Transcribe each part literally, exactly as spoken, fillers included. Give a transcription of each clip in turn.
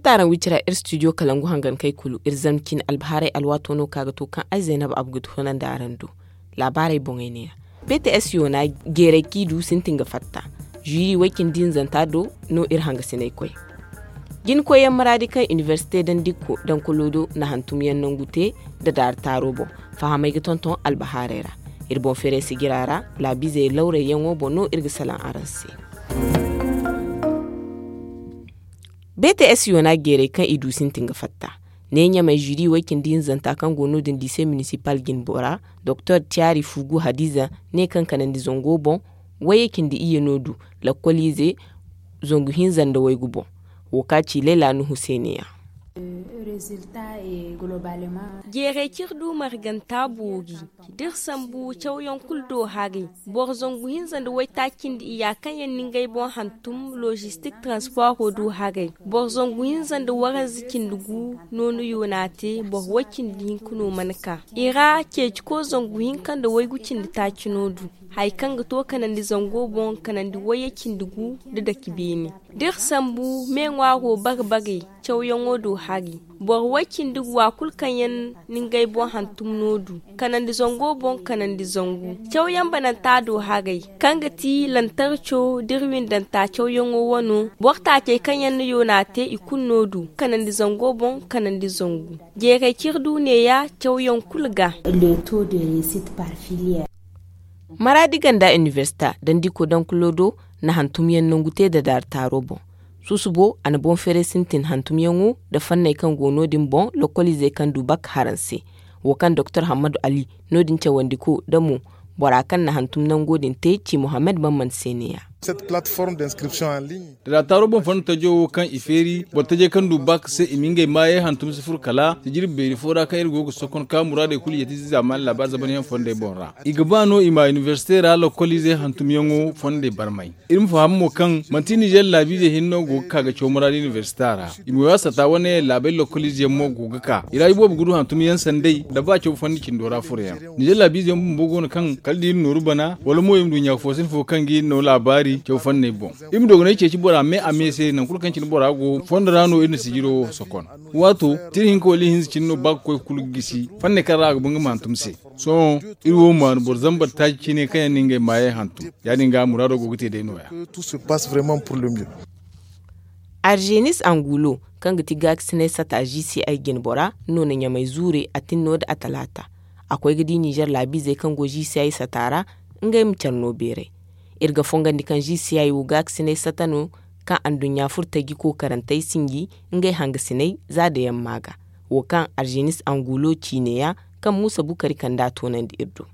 Fatta araŋ wicira iri studio kalangu hangan kay kulu iri zama cine albahaarey alwaato no ka ga to kaŋ ay zaynab abu ga toonandi araŋ do. Laabaarey boŋey neeya. P t s yoona jeeray kaŋ i du sintin ga fatta. Ziri way-cindi hinzanta do no iri hangasinay koy. Jina koyyaŋ maraadi kaŋ inibersite dandikko dankolo do na hantumyaŋ nangu te da daari taaro boŋ. Fahamey ga tonton albahaarey ra. Iri boŋ feeray sijira ra laabiizey lawrayyaŋo boŋ no iri ga salaŋ araŋ se. B T S yoona jeeray kaŋ i du sintin ga fatta. Ne ɲamay ziri way-cindi hinzanta kaŋ go no-din liise minisipal jine bora doktor tiyaari fugu hadiza ne kaŋ kanandi zango boŋ. Wayye cindi iyye no du lakkoliize zangu hinza nda waygu boŋ. Wo ka ci layla nuhu se ne-ya. Jeeray kaŋ iri du marganta boori da iri sambu cawyaŋ kulu do haray. Boro zangu hinza nda waytaaci nda iyya kaŋ yaŋ na ngey boŋ hantum lozistik transporo du haray. Boro zangu hinza nda waranza cindi gu no na yoona te boro way-cindi hinka no mana ka. I ra ceeci ko zangu hinka nda waygu cindi taaci no du. Hari kaŋ ga to kanandi zango boŋ kanandi wayye cindi gu nda dake beene. Da iri sambu me ŋwaaro bare bare cawyaŋo do hari. Boro way-cindi gu wa kulu kaŋ yaŋ na ngey boŋ hantum no du kanandi zango boŋ kanandi zangu. Cawyaŋ bananta do haray kaŋ ga ti lantarco da iri windanta cawyaŋo wano. Boro taacey kaŋ yaŋ na yoona te i kulu no du kanandi zango boŋ kanandi zangu. Jeeray kaŋ iri du neeya cawyaŋ kulu ga. Maraadi ganda inibersita dandiko dankulo do na hantumyaŋ nangu te da daari taaro boŋ. Susubo a na boŋ feeray sintin hantumyaŋo nda fanney kaŋ go no-din boŋ lokkoliizey kaŋ du bak haranse. Wo kaŋ doktor hammadu ali no-din cawandiko nda mo bora kaŋ na hantum nango din te ci mohammed bamman se ne-ya. Da daari taaro boŋ fondo tajo wo kaŋ i feeri boro tajey kaŋ du bak se i ma ngey maayey hantum si furo kala sijiri beeri fo ra kaŋ iri go ga sokon ka muraadey kulu yeeti si zaamaani laabaari zamanyaŋ fondey boŋ ra. I ga ba no i ma inibersite ra lokkoliizey hantumyaŋo fondey barmay. Iri ma faham mo kaŋ manti nizer laabiizey hinne no go ga ka ga caw muraadi inibersita ra. I ma way a sata wane laabey lokkoliize yaŋ mo go ga ka i ra iboobo ga du hantum yaŋ sanday nda ba caw fondi cindo ra furo yaŋ. Nizer laabiizey yaŋ bumbo go no kaŋ kala da iri nooru bana wala mo iri ma du ɲaafoosin fo kaŋ ga iri no laabaari caw fonney boŋ. Iri ma dogonay ceeci bora me a me se nangu kulu kaŋ cine bora go fondo ra no iri na sijiro wo sokon. Waato tira hinka wala ihinza cine no ba ga koy kulu ga gisi fanney kaŋ ra a ga ba nga ma hantum se. Sohõ iri wo maanu boro zambar taaci cine kaŋ yaŋ na ngey maayey hantum. Ya- din ga muraado go ga te day no- ya. Arzenis angulo kaŋ ga ti gaakasinay sata g c i jinbora no na ɲamay zuure a tinno nda a talaata. A koy ga di nizer laabiizey kaŋ go g c i sata ra ngey ma care no beeray. Iri ga fongandi kaŋ g c i wo gaakasinay sata no kaŋ anduɲɲa furtaji kookarantey sinji ngey hangasiney za da yamma ga. Wo kaŋ arzenis angulo ci neeya kaŋ muusa bukari kand'a toonandi iri do.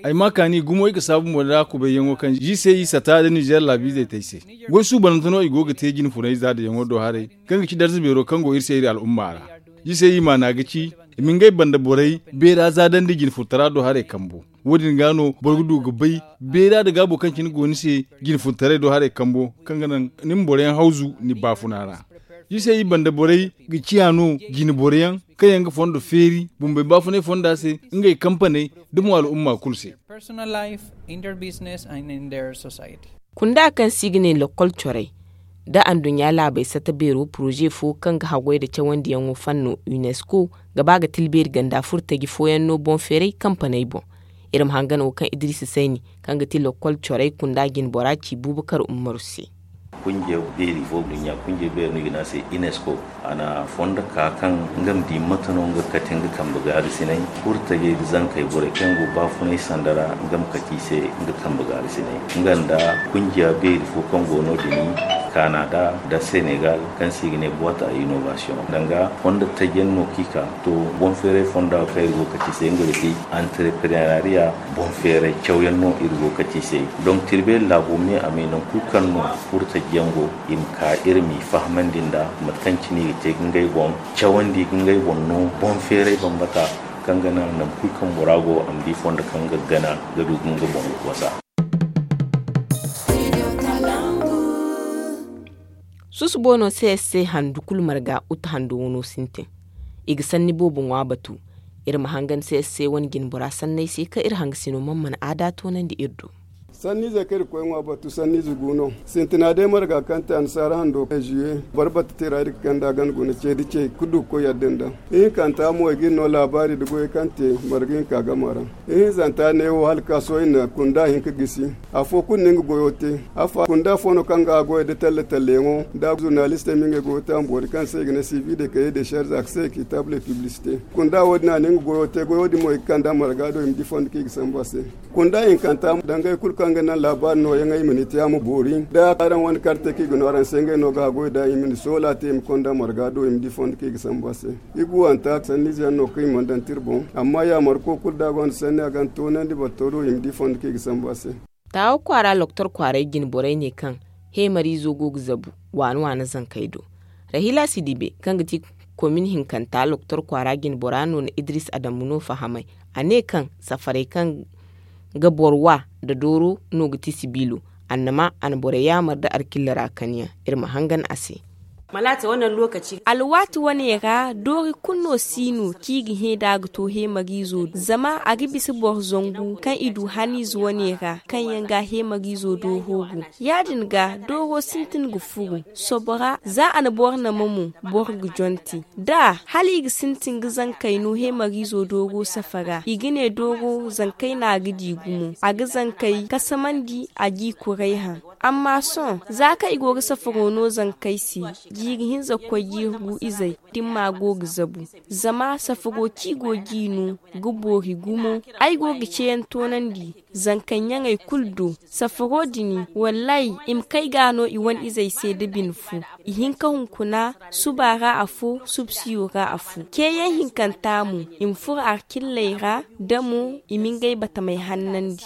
Ay ma kaani gumo i ga saabu mo da kubay yaŋo kaŋ g c i sata nda nizer laabiizey te ay se. Goy suubanante no i go ga te jinfunay za da yaŋo do haray kaŋ ga ci darza beero kaŋ go iri se iri al'umma ra. G c i maana ga ci i ma ngey banda borey beera za dandi jinfuntara do haray kambo. Wo- din ga no boro ga du ga bay beera nda gaabo kaŋ cine go ni se jinfuntaray do haray kambo kaŋ ga naŋ ni ma boroyaŋ hawzu ni baafuna ra. Iri se i banda borey ga ciya no jine boroyaŋ kaŋ yaŋ ga fondo feeri bumbey baafunay fonda se ngey kampaney da mo al'umma kulu se. Kunda kaŋ se i ga ne lokkol corey nda anduɲɲa laabey sata beero poroze fo kaŋ ga haggoy nda cawandiyaŋo fanno unesco ga ba ga tilbeeri ganda furtaji fooyaŋ no boŋ feeray kampaney boŋ. Iri ma hangan wo kaŋ idiriisi sayni kaŋ ga ti lokkol corey kunda jinbora ci buubakar ummaru se. Kunjiya beeri fo nduɲɲa kunjiya beeri no i ga ne a se unesco. A na fondo ka kaŋ nga ma di mate no nga ga kate nga kambe gaarisinay furtajey nda zankey borey kaŋ go baafunay sanda ra nga ma kate i se nga kambe gaarisinay nga nda kunjiya beeri fo kaŋ go no- din kanada nda senegal kaŋ se i ga ne boite a innovation danga fondo taji yaŋ no kaŋ i ka to boŋ feeray fonda kaŋ iri go ga kate i se nga ga ti entreprenariya boŋ feeray cawyaŋ no iri go ga kate i se. Donk tirbeeri laabo me a me nangu kulu kaŋ no furtaji yaŋ go i ma ka iri m'i fahamandi nda mate kaŋ cine i ga te ga ngey boŋ cawandi ga ngey boŋ no boŋ feeray bambata kaŋ ga naŋ nangu kulu kaŋ bora go a ma di fondo kaŋ ga gana ga du ga nga boŋ ga wasa. Susubo no c s c handu kulu marga uta hando wano sintin. I ga sanni boobo ŋwa batu. Iri ma hangan c s c wane jinbora sanney se kaŋ iri hangasino mana mana aada toonandi iri do. Sanniize kaŋ iri ga koy ŋwa batu sanniize gu no. Sintina day marga kaŋ te annasaara hando juye boro bata tira iri ga kande a gana guna ce da ce ga du ga koy yadda nda. Ihinkanta mo i ga iri no laabaari nda goyey kaŋ te marga hinka gama ra. Ihinzanta neewo hala ka sohõ i na kunda hinka gisi. Afo kulu na nga goyo te. Afa kunda fo no kaŋ ga a goyo nda talle talle yaŋo nda zurnalistey ma ngey goyo te a ma boori kaŋ se i ga ne sivi de kaye de sharza ka se kitabule piblisite. Kunda wo- din a na nga goyo te goyo din mo i ga kande a marga do i ma di fondo kaŋ i ga sambu a se. Kunda hinkanta dangay kulu kaŋ ga naŋ laabaari nooyaŋey i ma ni te a ma boori da araŋ wane karte kaŋ i ga no araŋ se ngey no ga a goy da i ma ni soola te i ma konda marga do i ma di fondo kaŋ i ga sambu a se. I ga wanta sanniize yaŋ no kaŋ i mana daŋ tira boŋ. Amma yaamarko kulu da a gonda sanni a ga ni toonandi boro to do i ma di fondo kaŋ i ga sambu a se. Taawa kwaara loktor kwaaray jine borey ne kaŋ heemariizo go ga zabu waana waana zankey do. Rahila sidibe kaŋ ga ti komin hinkanta loktor kwaara jine bora no na idris adamu no fahamay. A ne kaŋ safarey kaŋ ga boro wa nda dooro no ga ti sibiilo. Annama a na borey yaamar nda alkilla ra kaniyaŋ. Iri ma hangan a se. Alwaati wane ra doori kulu no si no kaŋ i ga hẽ nd'a ga to heemariizo do zama a ga bisa boro zangu kaŋ i du haniize wane ra kaŋ yaŋ ga heemariizo dooro go. Ya- din ga dooro sintin ga furu sobora za a na boro nama mo boro ga jonti da hala i ga sintin ga zankey no heemariizo dooro safara i ga ne dooro zankey no a ga di gumo a ga zankey kasamandi a g'i kuray haŋ. Amma sohõ za kaŋ i go ga safaro no zankey se jiiri hinza ga koy jiiri gu izey dimma go ga zabu. Zama safaro kaŋ i go g'i no ga boori gumo. Ay go ga ceeyaŋ toonandi zankey ɲaŋey kulu do. Safaro din wallaahi i ma kay ga no i wane izey se nda bine fo. I hin ka hunkuna suba ra afo subsiyo ra afo ceeyaŋ hinkanta mo i ma furo alkilley ra da mo i ma ngey batamey hannandi.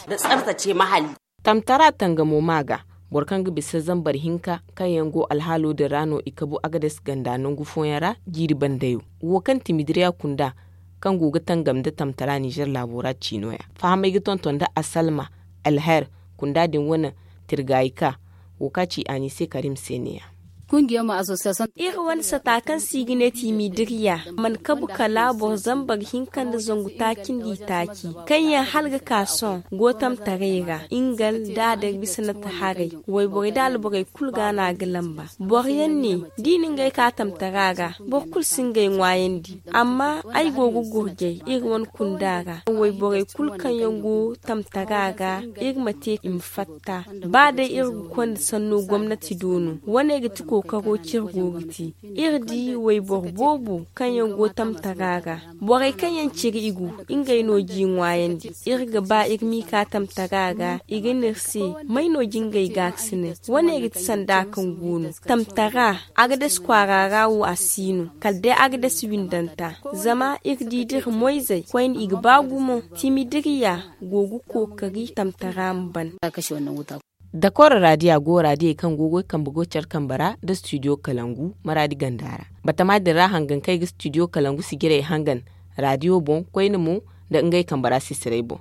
Tamtara tangamo ma ga boro kaŋ ga bisa zambar hinka kaŋ yaŋ go alhaalo din ra no i kabu agades ganda nangu fooyaŋ ra jiiri bandayo wo kaŋ timidiriya kunda kaŋ go ga tangam nda tamtara nizer laabo ra ciino ya fahamay ga tonton nda asalma alher kunda din wane tirgayi ka wo kaŋ a ci anise karim se ne ya. Iri wane sata kaŋ se i ga ne timidiriya mana kabu kala boro zambar hinka nda zangu taaci nda itaaci kaŋ yaŋ hala ga ka sohõ go tamtaray ra ingal da a day bisa nata haray. Wayborey da alborey kulu ga no a ga lamba. Boro yaŋ ne da i na ngey ka tamtara ra boro kulu si ngey ŋwaayandi. Amma ay go ga gurjay iri wane kunda ra wayborey kulu kaŋ yaŋ go tamtara ra iri ma te i ma fatta. Ba day iri ga konda sanno gomnati do no wane ga ti kookaro kaŋ iri go ga te. Iri di wayboro boobo kaŋ yaŋ go tamtara ra. Borey kaŋ yaŋ ciri i go ngey no g'i ŋwaayandi. Iri ga ba iri m'i ka tamtara ra i ga ne iri se may no jingey gaakasinay? Wane ga ti sanda kaŋ go no tamtara. Agades kwaara ra wo a si no kala day agades windanta. Zama iri di da iri moyzey koyne i ga ba gumo. Timidiriya go ga kookari tamtara ma ban. Dakoro raadiya go raadiyey kaŋ go ga goy kambe go care kambe ra nda studio kalangu maraadi ganda ra. Batama din ra hangan kaŋ ay ga studio kalangu sijirey hangan raadiyo boŋ koyne mo nda ngey kambe ra sisirey boŋ.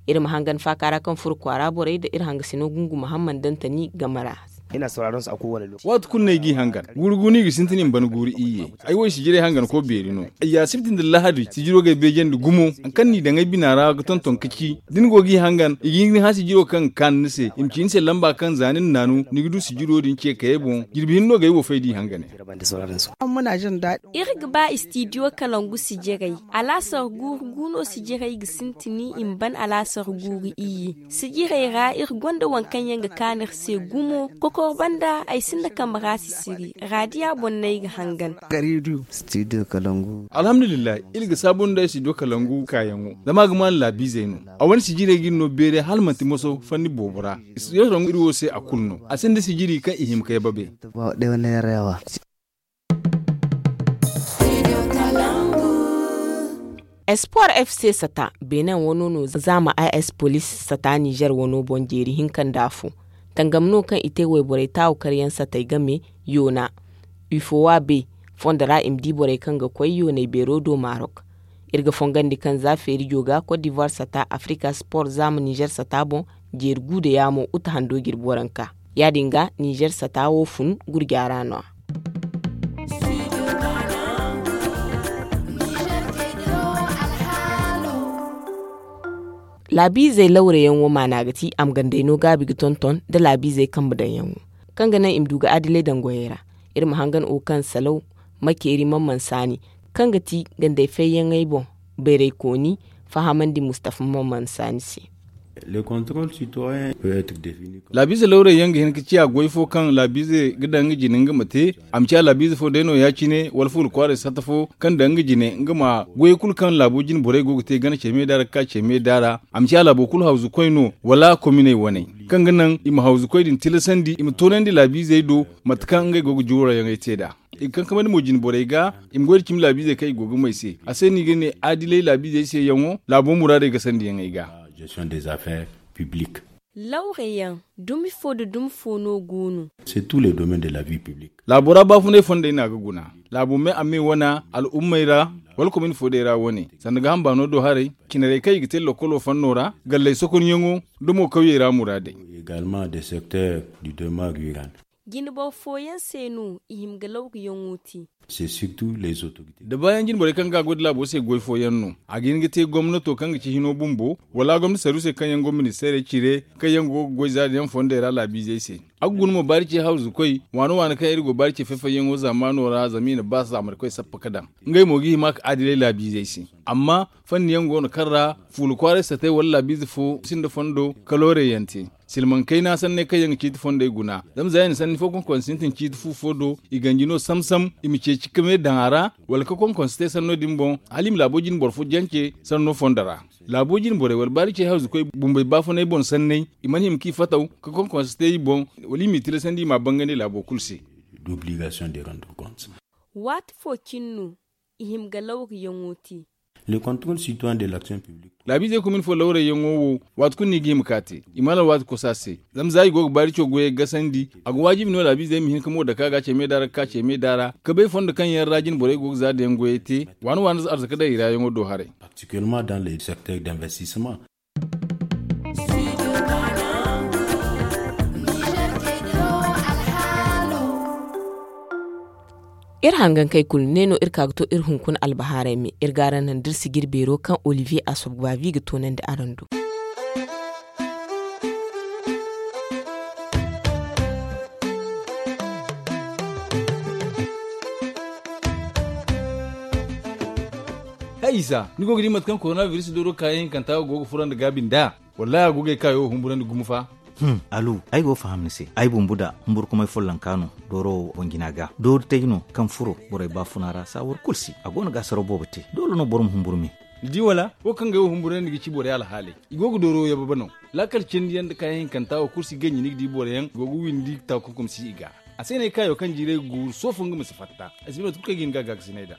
Iri ma hangan faaka ra kaŋ furo kwaara borey nda iri hangasino gungu muhammad dantani game ra. Waati kulu no ay g'i hangan guuru gu no i ga sintin i ma ban guuru iyye. Ay wo ay sijirey hanganko beeri no. Ay ya sibti nda lahadi sijiro ga ay beejandi gumo. Hari kaŋ n'i daŋ ay bina ra ga tonton ka ci da ni go g'i hangan i ga hin ga ni hã sijiro kaŋ ga kaanu ni se i ma ci ni se lamba kaŋ za ni na naanu ni ga du sijiro din ce kayey boŋ. Jirbi hinne no ga ay wo fay d'i hangane. Iri ga ba istidiyo kalangu sijirey. Alaasar guuru gu no sijirey ga sintin i ma ban alaasar guuru iyye. Sijirey ra iri gonda waŋ kaŋ yaŋ ga kaanu iri se gumo. Kokor banda ay sinda kambe ra sisiri raadiya boŋ no ay ga hangan. Alhamdulillahi. Iri ga saabu nda ay studio kalangu kaayaŋo zama a ga maan laabiizey no. A wane sijirey ga iri no beeray hala manti moso fanni boobo ra. Studio kalangu iri wo se a kulu no a sinda sijiri kaŋ i hima kay babe. Espoir fc sata benin wano no zaama as police sata niger wano boŋ jeeri hinka nda afo. Tangam no kaŋ i te wayborey taawu karyaŋ satey game yoona. Ufowa be fondo ra i ma di borey kaŋ ga koy yooney beero do marok. Iri ga fongandi kaŋ za feerijo ga cote d'ivoire sata africa sport zaama niger sata boŋ jeeri gu nda yaamo uta hando jirbi waranka. Ya- din ga niger sata wo fun gurja ra no- ya. Laabiizey lawreyaŋo maana ga ti a ma gandey no gaabi ga tonton nda laabiizey kambe daŋyaŋo, kaŋ ga naŋ i ma du ga adilay daŋ goyey ra. Iri ma hangan wo kaŋ salaw makeeri man man saani, kaŋ ga ti gandey fayyaŋey boŋ bayraykooni fahamandi mustafa man man saani se. Laabiize lawray yaŋ ga hin ga ciya goy fo kaŋ laabiize ga daŋ nga jine nga ma te. A ma ciya laabiize fo day no ya- cine wala fuula kwaaray sata fo kaŋ daŋ nga jine nga ma goyey kulu kaŋ laabo jine borey go ga te gana ce me da ra ga ka ce me da ra. A ma ciya laabo kulu hawzukoy no wala kominey waney, kaŋ ga naŋ i ma hawzukoy din tilasandi i ma toonandi laabiizey do mate kaŋ ngey go ga juurayaŋey te nd'a. I ga kankamandi mo jine borey ga i ma goy da cimi laabiizey kaŋ i go ga may se. A se no i ga ne adilay laabiizey se yaŋo laabo muraadey ga sandiyaŋey ga. Lawreyaŋ dumi fo nda dumi fo no go no. Laabo ra baafunay fondey no a ga guna. Laabo me a me wana al'ummey ra wala komin fo day ra wane sanda gaaham baano do haray, cinarey kaŋ i ga te lokolo fanno ra, galley sokonyaŋo nda mo kawyey ra muraadey. Jinboro fooyaŋ se no i hima ga lawguyaŋo te. Da baayaŋ jinborey kaŋ ga a goy nda laabo se goy fooyaŋ no. A ga hin ga te gomnato kaŋ ga ci hino bumbo wala gomnati sarru se kaŋ yaŋ go ministeerey cire kaŋ yaŋ go ga goy zaari yaŋ fondey ra laabiizey se. A ga guna mo baari ce hawzukoy waana waana kaŋ iri go baari ce fay-fayyaŋo zaamaano ra zama i na ba zaamarikoy sappa ga daŋ. Ngey mo ga hima ga adilay laabiizey se. Amma fanni yaŋ go no kaŋ ra fuula kwaaray satay wala laabiize fo sinda fondo kaloorey yaŋ te. Silmaŋ kayna sanney kaŋ yaŋ ga ciiti fondey guna zama za i na sanni fo konkonse sintin ciiti fu fo do i ganji no sam-sam i ma ceeci ka me daŋ a ra wala ka konkonse te sanno din boŋ hala i ma laabo jine boro fo jance sanno fondo ra. Laabo jine borey wala baari ce hawzukoy bumbey baafunay boŋ sanney i mana hima ka i fataw ka konkonse te i boŋ wala i m'i tilasandi i m'a bangandi laabo kulu se. Waati fo cine no i hima ga lawguyaŋo te. Laabiizey komin fo lawrayyaŋo wo waati kulu no i ga hima ka te. I mana alwaati kosa se zama za i go ga baari co goyey gasandi a ga waajibi no laabiizey ma hin ka mo dake a ga ce me da ra ga ka ce me da ra ka bay fondo kaŋ yaŋ ra jine borey go ga za dayaŋ goyey te waana waana arzaka daŋ i ra yaŋo do haray. Iri hangankey kulu ne no iri ka ga to iri hunkuna albahaarey me iri ga araŋ naŋ da iri si jire beero kaŋ olivier asobgbavi ga toonandi araŋ do. Hay isa ni go ga di mate kaŋ korona biris dooro kaayaŋ hinkanta wo go ga furandi gaabi nd'a? Wallahi a go ga ay kaayo wo humburandi gumo fa. Alu, ay go ga faham ni se. Ay bumbu da humburkumay follonka no dooro wo boŋ jina ga dooru tay no kaŋ furo borey baafuna ra saawar kulu si a go no ga asaraw boobo te doole no boro ma humburu me. Ni di wala? Wo kaŋ ga ay wo humburandi ga ci borey alhaaley i go ga dooro wo yababa no. Laakal cindi yaŋ nda kaayaŋ hinkanta wo kulu si ganji ni ga di boro yaŋ go ga windi taakunkum si i ga. A se no ay kaayo kaŋ jiiray ga guuru soofo nga ma si fatta. Ay si bay mate kulu kaŋ ay ga hin ga a gaakasinay nd'a.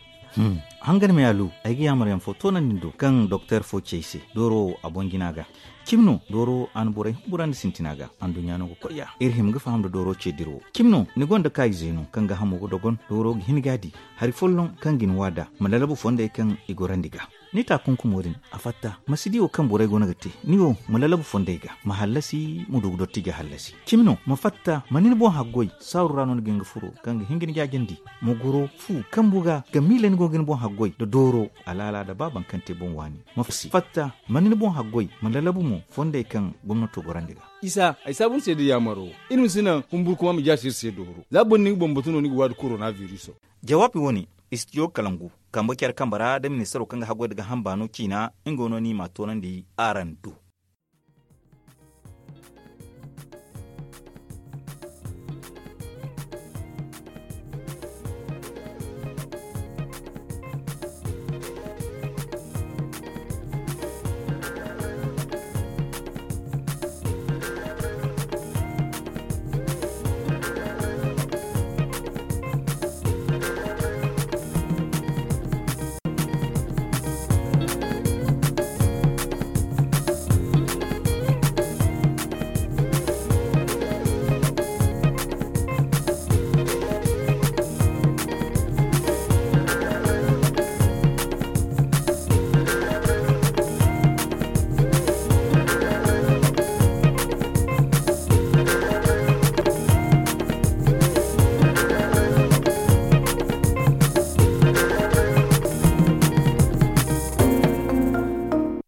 Hangan me alu, ay ga yaamar yaŋ fo toonandi ni do kaŋ doktor fo ci ay se dooro wo a boŋ jina ga. Cimi no dooro wo a na borey humburandi sintina ga anduɲɲa no ga koy ya iri hima ga faham nda dooro ce dira wo. Cimi no ni gonda kaayize no kaŋ gaahamo ga dogon dooro ga hin ga a di. Hari folloŋ kaŋ ga ni waada ma lalabu fondey kaŋ i gorandi ga. Ni taakunkumo din a fatta ma si di wo kaŋ borey go no ga te. Ni wo ma lalabu fondey ga ma hallasi ma du ga dotti ga hallasi. Cimi no ma fatta ma ni ni boŋ haggoy saaru ra no ni ga hin ga furo kaŋ ga hin ga ni jaajandi. Ma goro fu kambu ga ga miila ni go ga ni boŋ haggoy nda dooro alaala nda ba baŋ kaŋ te boŋ waani. Ma fatta ma ni ni boŋ haggoy ma lalabu mo fondey kaŋ gomnato gorandi ga. Isa ay saabu ni se nda yaamaro. Iri ma si naŋ humburkuma ma jaasi iri se dooro za boro na ni ga boŋ batu no ni ga waadu korona biriso. Jawaabi wo-ne, istijo kalangu kambe care kambe ra nda ministaro kaŋ ga haggoy nda gaaham baano ciina nga wo no ni m'a toonandi araŋ do.